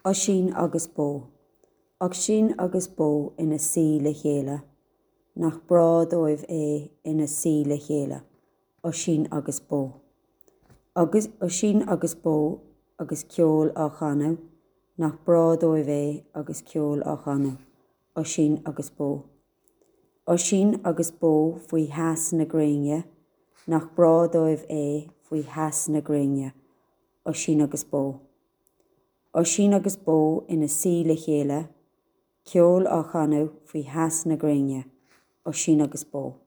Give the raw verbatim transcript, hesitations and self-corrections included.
Oisín agus Bó. Oisín agus bó ina suí le chéile, nach breá dóibh é ina suí le chéile, Oisín agus bó. Agus Oisín agus bó agus ceol á chanadh, nach breá dóibh é agus ceol á chanadh, Oisín agus bó. Oisín agus bó faoi theas na gréine, nach breá dóibh é faoi theas na gréine, Oisín agus bó. Oisín agus bó ina suí le chéile, ceol á chanadh faoi theas na gréine, Oisín agus bó.